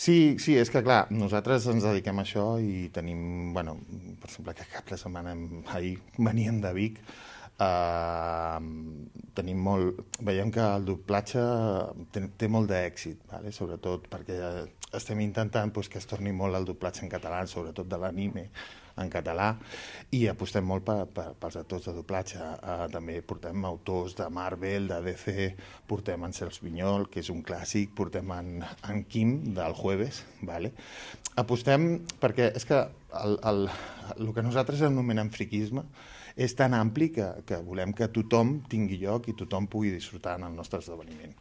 Sí, sí, és que clar, nosaltres ens dediquem a això i tenim, bueno, per exemple, que cap de setmana, ahir veníem de Vic, tenim molt, veiem que el doblatge té molt d'èxit, vale? Sobretot perquè estem intentant pues, que es torni molt el doblatge en català, sobretot de l'anime en català, i apostem molt pels actors de doblatge. També portem autors de Marvel, de DC, portem en Cels Vinyol, que és un clàssic, portem en Kim, del Jueves, vale? Apostem perquè és que el que nosaltres anomenem friquisme és tan ampli que volem que tothom tingui lloc i tothom pugui disfrutar en el nostre esdeveniment.